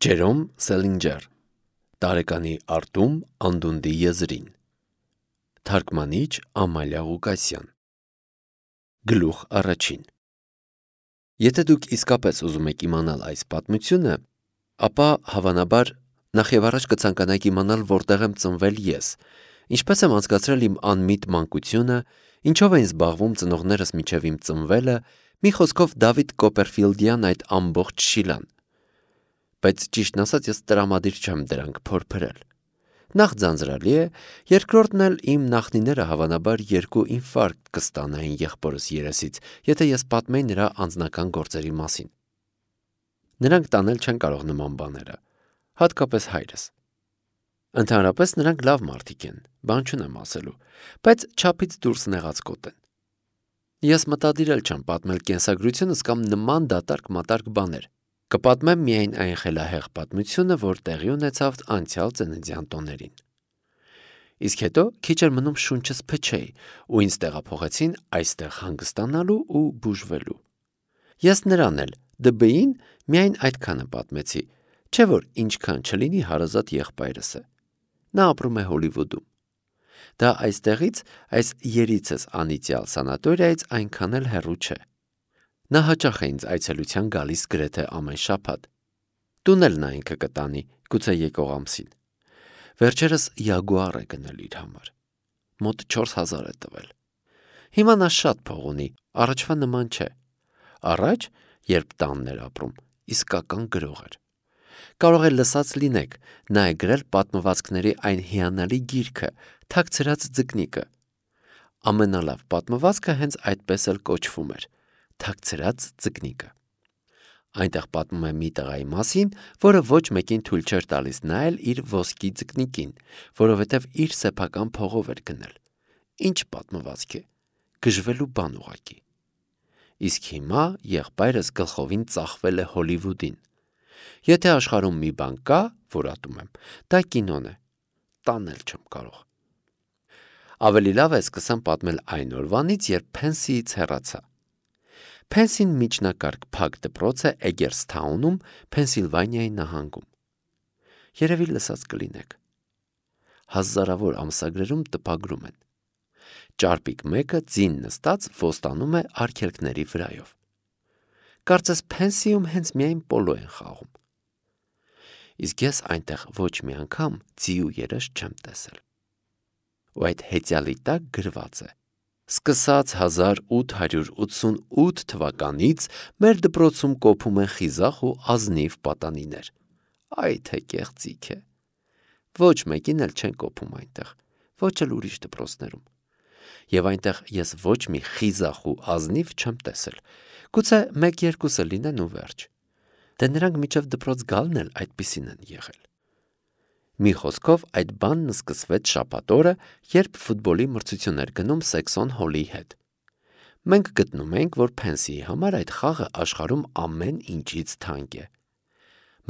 Ջերոմ Սելինջեր Տարեկանի արտում անդունդի եզրին Թարգմանիչ Ամալիա Ղուկասյան Գլուխ առաջին Եթե դուք իսկապես ուզում եք իմանալ այս պատմությունը, ապա հավանաբար նախ եւ առաջ կցանկանաք իմանալ որտեղ եմ ծնվել ես, ինչպես եմ անցկացրել իմ անմիտ մանկությունը, ինչով էին զբաղվում ծնողներս մինչև իմ ծնվելը, մի խոսքով Դավիթ Կոպերֆիլդյան այդ ամբողջ շիլան, բայց ճիշտն ասած ես տրամադիր չեմ դրանք փորփրել։ Նախ ձանձրալի է, երկրորդն էլ իմ նախնիները հավանաբար 2 ինֆարկտ կստանային եղբորս երեսից, եթե ես պատմեի նրա անձնական գործերի մասին։ Նրանք տանել չեն կարող նման բաները, հատկապես հայրս։ Ընդհանրապես նրանք լավ մարդիկ են, բան չունեմ ասելու, բայց չափից դուրս նեղացկոտ են։ Ես մտադիր էլ չեմ պատմել կենսագրությունս կամ նման դատարկ-մատարկ բաներ։ Կպատմեմ միայն այն խելահեղ պատմությունը, որ տեղի ունեցավ անցյալ ծննդյան տոներին։ Իսկ հետո քիչ էր մնում շունչս փչեի, ու ինձ տեղափոխեցին այստեղ հանգստանալու ու բուժվելու։ Ես նրան էլ, ԴԲ-ին, միայն այդքանը պատմեցի, չէ որ ինչքան չլինի հարազատ եղբայրս է։ Նա ապրում է Հոլիվուդում։ Դա այստեղից, այս երիցս անիծյալ սանատորիայից այնքան էլ հեռու չէ։ Նա հաճախ է ինձ այցելության գալիս գրեթե ամեն շաբաթ։ Տուն էլ նա ինքը կտանի, գուցե եկող ամսին։ Վերջերս Յագուար է գնել իր համար։ Մոտ 4000 է տվել։ Հիմա նա շատ փող ունի, առաջվա նման չէ։ Առաջ, երբ տանն էր ապրում, իսկական գրող էր։ Կարող է լսած լինեք, նա է գրել պատմվածքների այն հիանալի գիրքը «Թաքցրած ձկնիկը»։ Ամենալավ պատմվածքը հենց այդպես էլ կոչվում էր «Թաքցրած ձկնիկը»։ Այնտեղ պատմում է մի տղայի մասին, որը ոչ մեկին թույլ չէր տալիս նայել իր ոսկի ձկնիկին, որովհետև իր սեփական փողով էր գնել։ Ինչ պատմվածք է, գժվելու բան ուղղակի։ Իսկ հիմա եղբայրս գլխովին ծախվել է Հոլիվուդին։ Եթե աշխարհում մի բան կա, որ ատում եմ, դա կինոն է, տանել չեմ կարող։ Ավելի լավ է սկսեմ պատմել այն օրվանից, երբ Փենսիից հեռացա։ Փենսին միջնակարգ փակ դպրոց է Էգերսթաունում, Փենսիլվանիայի նահանգում։ Երևի լսած կլինեք։ Հազարավոր ամսագրերում տպագրում են։ Ճարպիկ մեկը ձին նստած ոստանում է արգելքների վրայով։ Կարծես Փենսիում հենց միայն պոլո են խաղում։ Իսկ ես այնտեղ ոչ մի անգամ ձի ու երես չեմ տեսել։ Ու այդ հեծյալի տակ գրված է. Սկսած 1888 թվականից մեր դպրոցում կոփում են խիզախ ու ազնիվ պատանիներ։ Այ թե կեղծիք է։ Ոչ մեկին էլ չեն կոփում այնտեղ, ոչ էլ ուրիշ դպրոցներում։ Եվ այնտեղ ես ոչ մի խիզախ ու ազնիվ չեմ տեսել։ Գուցե 1-2 լինեն ու վերջ։ Դե նրանք միջև դպրոց գալն էլ այդպիսին են եղել։ Մի խոսքով այդ բանն սկսվեց շաբաթ օրը, երբ ֆուտբոլի մրցություն էր գնում Սեքսոն Հոլի հետ։ Մենք գտնում ենք, որ Փենսիի համար այդ խաղը աշխարհում ամեն ինչից թանկ է։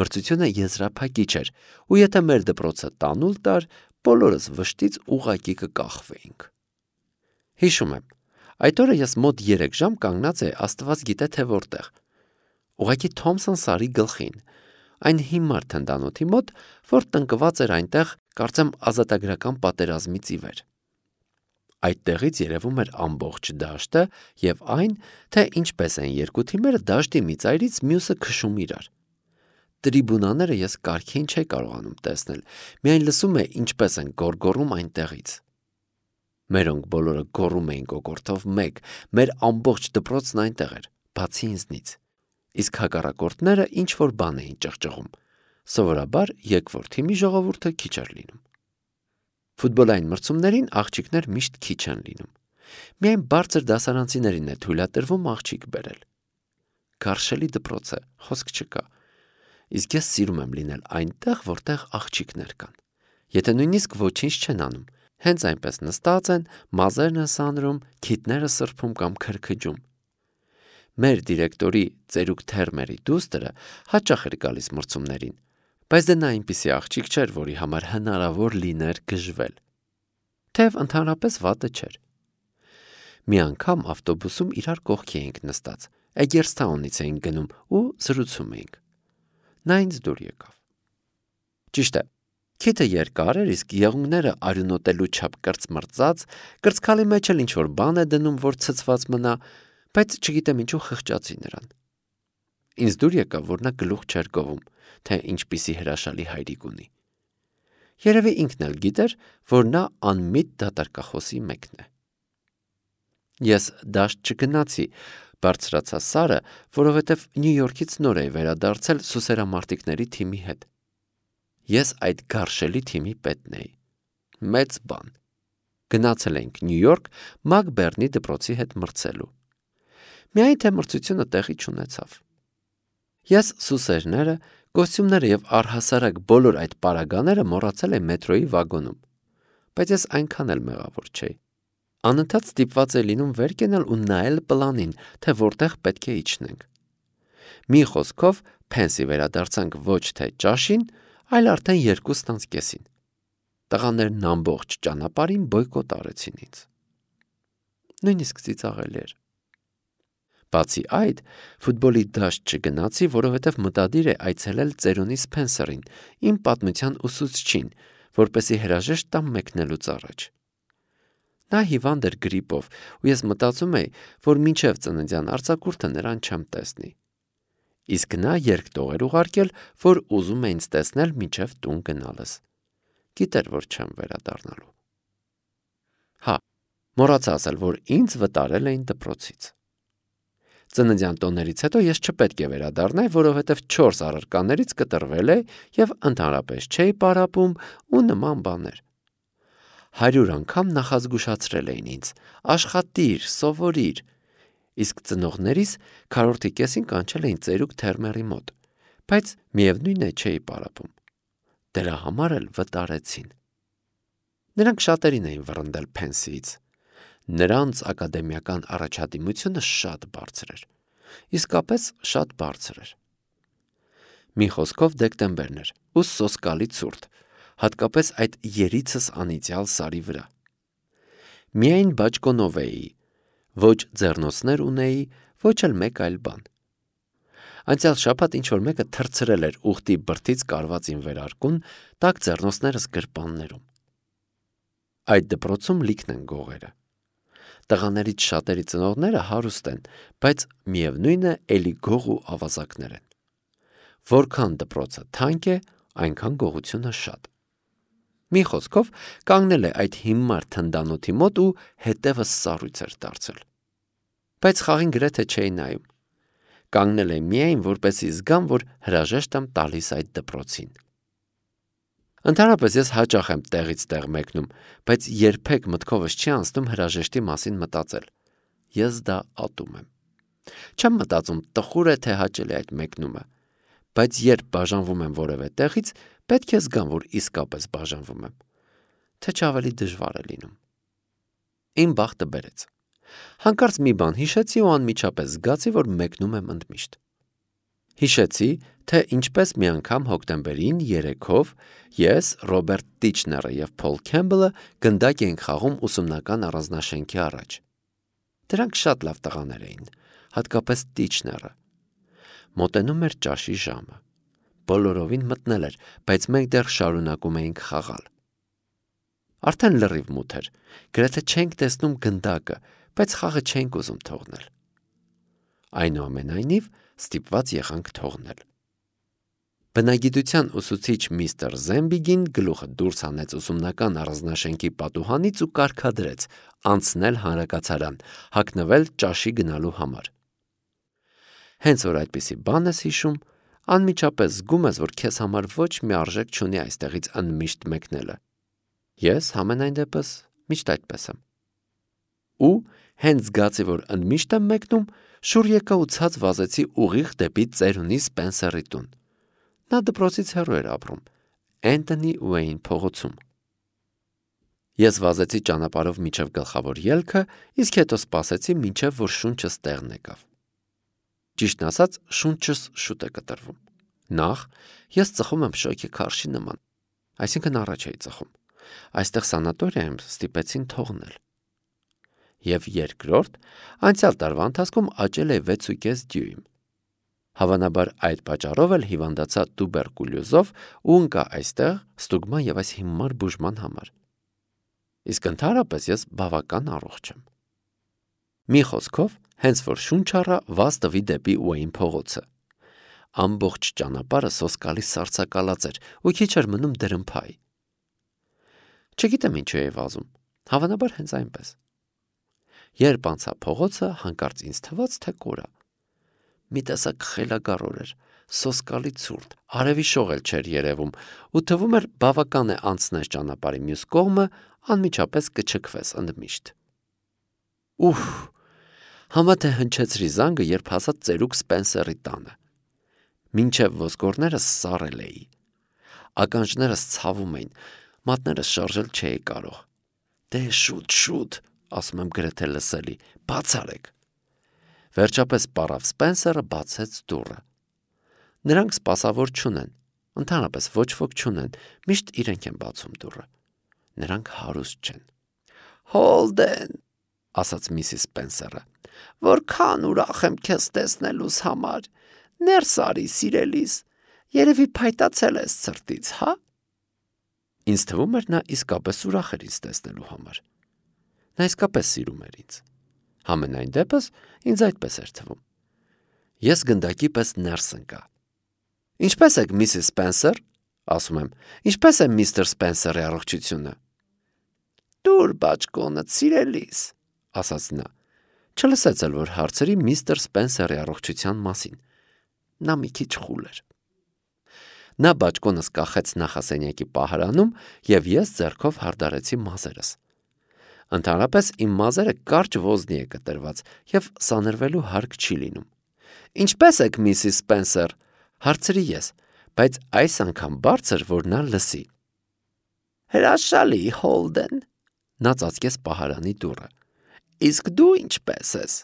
Մրցությունը եզրափակիչ էր, ու եթե մեր դպրոցը տանուլ տար, բոլորս վշտից ուղղակի կկախվեինք։ Հիշում եմ, այդ օրը ես մոտ 3 ժամ կանգնած էի աստված գիտե թե որտեղ։ Ուղղակի Թոմսոն Սարի գլխին, այն հիմար թնդանոթի մոտ, որ տնկված էր այնտեղ, կարծեմ ազատագրական պատերազմից ի վեր։ Այդտեղից երևում էր ամբողջ դաշտը և այն, թե ինչպես են երկու թիմերը դաշտի մի ծայրից մյուսը քշում իրար։ Տրիբունաները ես կարգին չէի կարողանում տեսնել, միայն լսում էի ինչպես են գոռգոռում այնտեղից։ Մերոնք բոլորը գոռում էին կոկորդով մեկ, մեր ամբողջ դպրոցն այնտեղ էր, բացի ինձնից։ Իսկ հակառակորդները ինչ-որ բան էին ճղճղում։ Սովորաբար եկվոր թիմի ժողովուրդը քիչ էր լինում։ Ֆուտբոլային մրցումներին աղջիկներ միշտ քիչ են լինում։ Միայն բարձր դասարանցիներին է թույլատրվում աղջիկ բերել։ Գարշելի դպրոց է, խոսք չկա։ Իսկ ես սիրում եմ լինել այնտեղ, որտեղ աղջիկներ կան։ Եթե նույնիսկ ոչինչ չեն անում, հենց այնպես նստած են, մազերն են սանրում, քիթները սրբում կամ քրքջում։ Մեր դիրեկտորի ծերուկ Թերմերի դուստրը հաճախ էր գալիս մրցումներին, բայց դե նա այնպիսի աղջիկ չէր, որի համար հնարավոր լիներ գժվել։ Թեև ընդհանրապես վատը չէր։ Մի անգամ ավտոբուսում իրար կողքի էինք նստած, Էգերսթաունից էինք գնում ու զրուցում էինք։ Նա ինձ դուր եկավ։ Ճիշտ է, քիթը երկար էր, իսկ եղունգները արյունոտելու չափ կրծմրծած, կրծքալի մեջ էլ ինչ-որ բան է դնում, որ ցցված մնա, բայց չգիտեմ ինչու խղճացի նրան։ Ինձ դուր եկավ, որ նա գլուխ չէր գովում, թե ինչպիսի հրաշալի հայրիկ ունի։ Երևի ինքն էլ գիտեր, որ նա անմիտ դատարկախոսի մեկն է։ Ես դաշտ չգնացի, բարձրացա Սարը, որովհետև Նյու Յորքից նոր էի վերադարձել սուսերամարտիկների թիմի հետ։ Ես այդ գարշելի թիմի պետն էի։ Մեծ բան։ Գնացել ենք Նյու Յորք Մակբերնի դպրոցի հետ մրցելու։ Միայն թե մրցությունը տեղի չունեցավ։ Ես սուսերները, կոստյումները և առհասարակ բոլոր այդ պարագաները մոռացել եմ մետրոյի վագոնում, բայց ես այնքան էլ մեղավոր չէի։ Անընդհատ ստիպված է լինում վեր կենալ ու նայել պլանին, թե որտեղ պետք է իջնենք։ Մի խոսքով Փենսի վերադարձանք ոչ թե ճաշին, այլ արդեն 2:30-ին։ Տղաներն ամբողջ ճանապարհին բոյկոտ արեցին ինձ։ Նույնիսկ ծիծաղելի էր։ Բացի այդ, ֆուտբոլի դաշտ չգնացի, որովհետև մտադիր է այցելել ծերունի Սփենսերին, իմ պատմության ուսուցչին, որպեսզի հրաժեշտ տամ մեկնելուց առաջ։ Նա հիվանդ էր գրիպով, ու ես մտածում էի, որ մինչև ծննդյան արձակուրդը նրան չեմ տեսնի։ Իսկ նա երկտող էր ուղարկել, որ ուզում է ինձ տեսնել մինչև տուն գնալս։ Գիտեր, որ չեմ վերադառնալու։ Հա, մոռացա ասել, որ ինձ վտարել էին դպրոցից։ Ծննդյան տոներից հետո ես չպետք է վերադառնայի, որովհետև 4 առարկաներից կտրվել է և ընդհանրապես չէի պարապում ու նման բաներ։ 100 անգամ նախազգուշացրել էին ինձ. աշխատիր, սովորիր, իսկ ծնողներիս քառորդի կեսին կանչել էին ծերուկ Թերմերի մոտ, բայց միևնույն է չէի պարապում։ Դրա համար էլ վտարեցին։ Նրանք շատերին էին վռնդել Փենսիից։ Նրանց ակադեմիական առաջադիմությունը շատ բարձր էր, իսկապես շատ բարձր էր։ Մի խոսքով դեկտեմբերն էր ու սոսկալի ցուրտ, հատկապես այդ երիցս անիծյալ Սարի վրա։ Միայն բաճկոնով էի, ոչ ձեռնոցներ ունեի, ոչ էլ մեկ այլ բան։ Անցյալ շաբաթ ինչ-որ մեկը թռցրել էր ուղտի բրդից կարված իմ վերարկուն, տաք ձեռնոցներս գրպաններում։ Այդ դպրոցում լիքն են գողերը։ Տղաներից շատերի ծնողները հարուստ են, բայց միևնույն է էլի գող ու ավազակներ են։ Որքան դպրոցը թանկ է, այնքան գողությունը շատ։ Մի խոսքով կանգնել է այդ հիմար թնդանոթի մոտ ու հետևս սառույց էր դարձել։ Բայց խաղին գրեթե չէի նայում։ Կանգնել է միայն, որպեսզի զգամ, որ հրաժեշտ եմ տալիս այդ դպրոցին։ Ընդհանրապես ես հաճախ եմ տեղից տեղ մեկնում, բայց երբեք մտքովս չի անցնում հրաժեշտի մասին մտածել։ Ես դա ատում եմ։ Չեմ մտածում տխուր է թե հաճելի այդ մեկնումը, բայց երբ բաժանվում եմ որևէ տեղից, պետք է զգամ, որ իսկապես բաժանվում եմ, թե չավելի դժվար է լինում։ Իմ բախտը բերեց։ Հանկարծ մի բան հիշեցի ու անմիջապես զգացի, որ մեկնում եմ ընդմիշտ։ Հիշեցի, թե ինչպես մի անգամ հոկտեմբերին երեքով ես, Ռոբերտ Տիչները և Փոլ Քեմբելը գնդակ էինք խաղում ուսումնական առանձնաշենքի առաջ։ Դրանք շատ լավ տղաներ էին, հատկապես Տիչները։ Մոտենում էր ճաշի ժամը։ Բոլորովին մտնել էր, բայց մենք դեռ շարունակում էինք խաղալ։ Արդեն լրիվ մութ էր, գրեթե չենք տեսնում գնդակը, բայց խաղը չենք ուզում թողնել։ Այնուամենայնիվ ստիպված եղանք թողնել։ Բնագիտության ուսուցիչ միստր Զեմբիգին գլուխը դուրս հանեց ուսումնական առանձնաշենքի պատուհանից ու կարգադրեց անցնել հանրակացարան, հագնվել ճաշի գնալու համար։ Հենց որ այդպիսի բան ես հիշում, անմիջապես զգում ես, որ քեզ համար ոչ մի արժեք չունի այստեղից ընդմիշտ մեկնելը։ Ես համենայն դեպս միշտ այդպես եմ։ Ու հենց զգացի, որ ընդմիշտ եմ մեկնում, շուռ եկա ու ցած վազեցի ուղիղ դեպի ծերունի Սպենսերի տուն։ Նա դպրոցից հեռու էր ապրում, Էնթոնի Ուեյն փողոցում։ Ես վազեցի ճանապարհով մինչև գլխավոր ելքը, իսկ հետո սպասեցի, մինչև որ շունչս տեղն եկավ։ Ճիշտն ասած, շունչս շուտ է կտրվում։ Նախ ես ծխում եմ շոգի քարշի նման, այսինքն առաջ էի ծխում։ Այստեղ սանատորիայում ստիպեցին թողնել։ Եվ երկրորդ, անցյալ տարվա ընթացքում աճել է 6.5 դյույմ։ Հավանաբար այդ պատճառով էլ հիվանդացա տուբերկուլյոզով ու ընկա այստեղ ստուգման եւ այս հիմար բուժման համար։ Իսկ ընդհանրապես ես բավական առողջ եմ։ Մի խոսքով, հենց որ շունչ առա, վազ տվի դեպի Ուեյն փողոցը։ Ամբողջ ճանապարհը սոսկալի սառցակալած էր ու քիչ էր մնում դրմփայ։ Չգիտեմ ինչու էի վազում, հավանաբար հենց այնպես։ Երբ անցա փողոցը, հանկարծ ինձ թվաց, թե կորա։ Մի տեսակ խելագար օր էր, սոսկալի ցուրտ, արևի շող էլ չէր երևում, ու թվում էր բավական է անցնես ճանապարհի մյուս կողմը, անմիջապես կչքվես ընդմիշտ։ Ուֆ, համա թե հնչեցրի զանգը, երբ հասա ծերուկ Սպենսերի տանը։ Մինչև ոսկորներս սառել էի։ Ականջներս ցավում էին, մատներս շարժել չէի կարող։ Դե շուտ, ասում եմ գրեթե լսելի, բաց արեք։ Վերջապես պարավ Սպենսերը, բացեց դուռը։ Նրանք սպասավոր չունեն, ընդհանրապես ոչ ոք չունեն, միշտ իրենք են բացում դուռը։ Նրանք հարուստ չեն։ Հոլդեն, ասաց Միսիս Սպենսերը, որքան ուրախ եմ քեզ տեսնելուս համար։ Ներս արի, սիրելիս, երևի փայտացել ես ցրտից, հա։ Ինձ թվում էր նա իսկապես ուրախ էր ինձ տեսնելու համար։ Նա իսկապես սիրում էր ինձ։ Համենայն դեպս ինձ այդպես էր թվում։ Ես գնդակի պես ներս ընկա։ Ինչպե՞ս եք, Միսիս Սպենսեր, ասում եմ, ինչպե՞ս է միստր Սպենսերի առողջությունը։ Դուր բաճկոնը, սիրելիս, ասաց նա։ Չլսեց էլ, որ հարցրի միստր Սպենսերի առողջության մասին։ Նա մի քիչ խուլ էր։ Նա բաճկոնս կախեց նախասենյակի պահարանում, եւ ես ձեռքով հարդարեցի մազերս։ Ընդհանրապես իմ մազերը կարճ ոզնի է կտրված եւ սանրվելու հարկ չի լինում։ Ինչպե՞ս եք, Միսիս Սպենսեր, հարցրի ես, բայց այս անգամ բարձր, որ նա լսի։ Հրաշալի, Հոլդեն, նա ծածկեց պահարանի դուռը։ Իսկ դու ինչպե՞ս ես։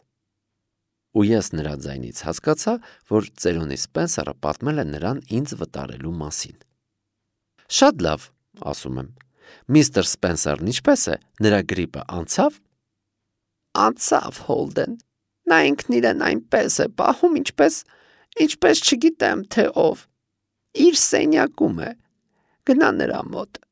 Ու ես նրա ձայնից հասկացա, որ ծերունի Սպենսերը պատմել է նրան ինձ վտարելու մասին։ Շատ լավ, ասում եմ։ Միստր Սպենսերն ինչպե՞ս է, նրա գրիպը անցավ։ Անցավ, Հոլդեն։ Նա ինքն իրեն այնպես է պահում, ինչպես չգիտեմ, թե ով։ Իր սենյակում է։ Գնա նրա մոտ։